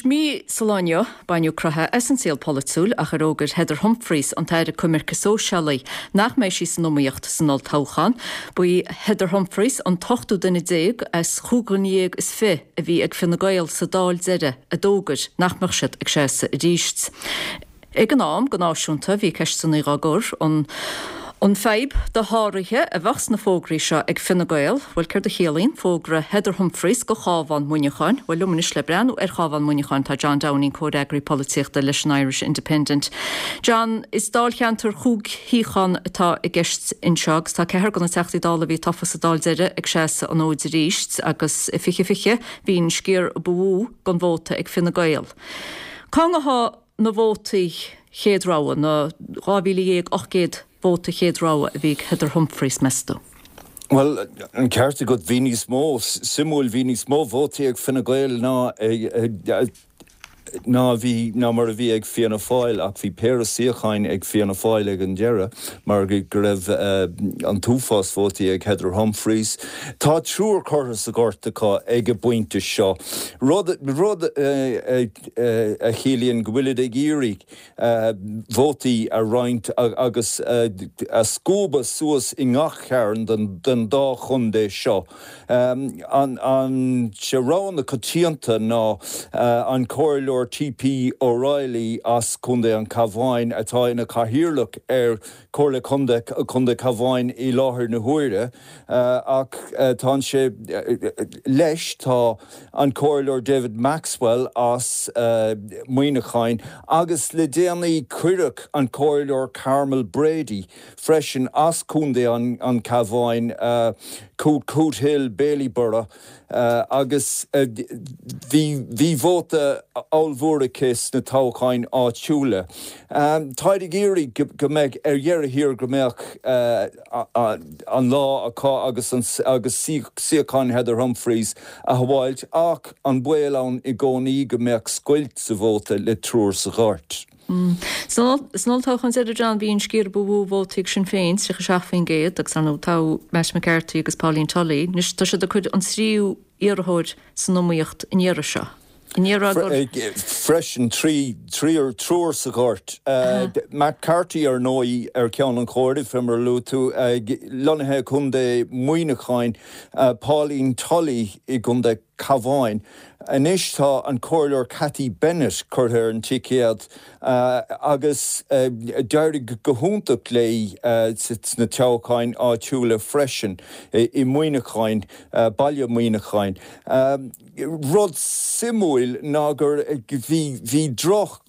mí sa lá inniu, baineadh croitheadh as an saol polaitiúil ach ar fhógair Heather Humphreys, an tAire Coimirce Sóisialaí, nach mbeidh sí san iomaíocht san olltoghchán. Ba í Heather Humphreys an t-ochtú duine déag as chúig dhuine dhéag is fi a bhí ag Fine Gael sa Dáil deiridh a d'fhógair nach mbeadh siad ag seasamh arís. Ag an am, go náisiúnta, bhí ceisteanna dhá gcur, an an fadhb dosháraithe a bheadh sna fógraí seo ag Fine Gael? Bhuel, céard a chiallaíonn fógra Heather Humphreys do Chábhán Mhuineacháin? Bhuel, liom anois le breathnú ar Chábhán Mhuineacháin tá John Downing, comhfhreagraí polaitíochta leis an Irish Independent. John, is dáilcheantar chúig shuíochán atá i gceist anseo agus tá ceathrar de na Teachtaí Dála a bhí tofa sa Dáil deiridh ag seasamh an fhóid arís agus i 2020 bhí an sciar ba mhó den vóta ag Fine Gael. Cá ngabhfaidh na vótaí chéad rogha, na 12,800 vóta chéad rogha a bhí ag Heather Humphreys, meas tú? Bhuel, an ceart agat, bhí níos mó, suimiúil, bhí níos mó vótaí ag Fine Gael ná ná a bhí, ná mar a bhí ag Fianna Fáil ach bhí péire suíocháin ag Fianna Fáil ag an deireadh mar go raibh an t-uafás vótaí ag Heather Humphreys. Tá triúr curtha sa ghort acu ag an bpointe seo, rud, rud a chiallaíonn go bhfuilid ag iarraidh vótaí a roinnt agus a scuabadh suas i ngach cearn den dá chontae seo. An sé rogha na coitianta ná an Comhairleoir T.P. O'Reilly as Contae an Chabháin atá ina chathaoirleach ar Chomhairle Contae Cabháin i láthair na huaire ach tá sé leis tá an Comhairleoir David Maxwell as Muineachán agus le déanaí cuireadh an Comhairleoir Carmel Brady freisin as Contae an Chabháin, Cootehill, Bailieborough. Agus bhí vóta ollmhór aici sna toghcháin áitiúla. Táid ag iarraidh go mbeadh, ar dheireadh thiar, go mbeadh an lá acu agus agus suíochán Heather Humphreys a shábháilt ach an baol ann i gcónaí go mbeadh scoilt sa vóta le triúr sa ghort. San olltoghchán deiridh, John, bhí an sciar ba mhó vótaí ag Sinn Féin, 37%, agus ar ndóigh toghadh Matt McCarthy agus Pauline Tully. Anois tá siad ag cur an tríú iarrthóir san iomaíocht an iarraidh seo. An iarraidh gur. Freisin, triúr sa ghort. Matt Carthy, ar ndóigh, ar cheann an chomhairimh, fé mar a luaigh tú, lonnaithe i gContae Mhuineacháin, Pauline Tully i gContae Cabháin. Anois tá an Comhairleoir Cathy Bennett curtha ar an ticéad agus d'éirigh go hiontach léi sna toghcháin áitiúla freisin i Muineachán, baile Mhuineacháin. Rud suimiúil ná gur bhí droch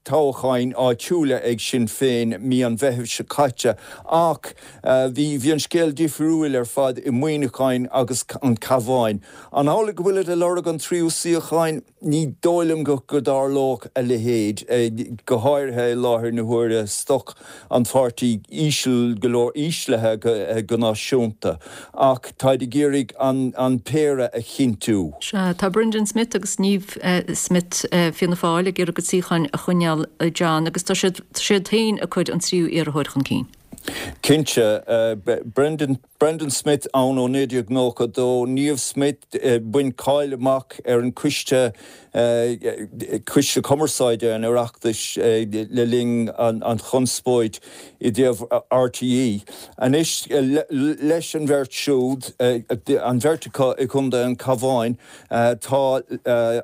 toghcháin áitiúla ag Sinn Féin mí an Mheithimh seo caite ach bhí an scéal difriúil ar fad i Muineachán agus an Cabhán. An amhlaidh go bhfuilid ag lorg an tríú suíocháin? Ní dóigh liom go dtarlódh a leithéid, go háirithe i láthair na huaire, stoc an pháirtí íseal go leor, íslithe go náisiúnta, ach táid ag iarraidh an péire a chinntiú. Sea, tá Brendan Smith agus Niamh Smyth, Fianna Fáil, ag iarraidh a gcuid suíocháin a choinneáil, John, agus tá siad siad féin ag cur an tríú iarrthóir chun cinn. Cinnte. Brendan Brendan Smyth ann ó 1992, Niamh Smyth, bhain cáil amach ar an Coiste Coiste Cumarsáide an Oireachtais le linn an chonspóid i dtaobh RTÉ. Anois leis an bheirt siúd, an bheirt acu i gContae an Chabháin, tá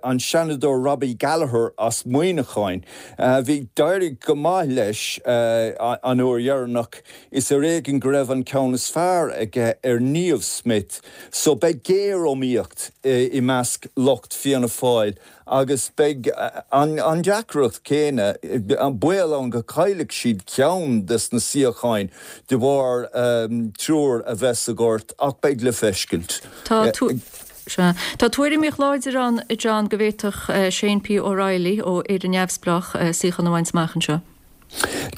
an Seanadóir Robbie Gallagher as Muineachán. Bhí, d'éirigh go maith leis an uair dheireanach. Is ar éigean go raibh an ceann is fearr aige ar Niamh Smyth so beidh géar-iomaíocht i measc lucht Fianna Fáil agus beidh an deacracht céanna, an baol ann go gcaillfidh siad ceann des na suíocháin de bharr triúr a bheith sa ghort ach beidh le feiscint. Tá Tá tuairimíocht láidir ann, a John, go bhféadfadh Shane P O'Reilly ó Éire Neamhspleách suíochán a bhaint amach anseo.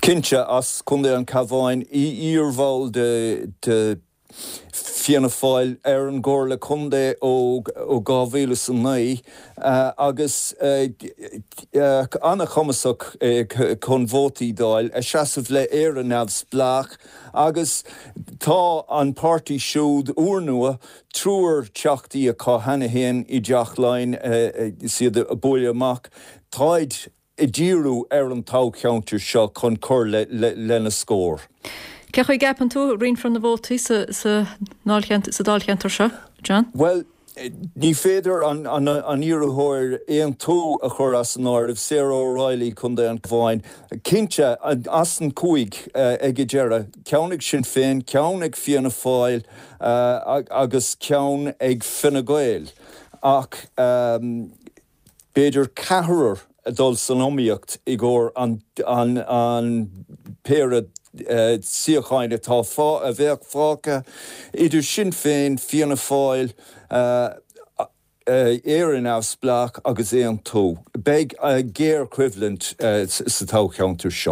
Cinnte, as Contae an Chabháin, iarbhall de. Fianna Fáil ar an gComhairle Contae ó 2009 agus an-chumasach chun vótaí d'fháil, ag seasamh le Éire Neamhspleách agus tá an páirtí siúd úrnua, triúr teachtaí acu cheana féin i dTeach Laighean is iad ag bualadh amach. Táid ag díriú ar an toghcheantar seo chun cur lena scór. Cén chaoi a gceapann tú a roinnfear na vótaí sa dáilcheantar seo, John? Bhuel, ní féidir an iarrthóir Aontú a chur as an áireamh, Sarah O'Reilly, Contae an Chabháin. Cinnte, as an gcúig ag an deireadh, ceann ag Sinn Féin, ceann ag Fianna Fáil agus ceann ag Fine Gael. Ach. B'fhéidir ceathrar ag dul san iomaíocht i gcomhair an péire suíocháin atá a bheadh fágtha idir Sinn Féin, Fianna Fáil, Éire Neamhspleách agus Aontú. Beidh géarchoimhlint sa toghcheantar seo.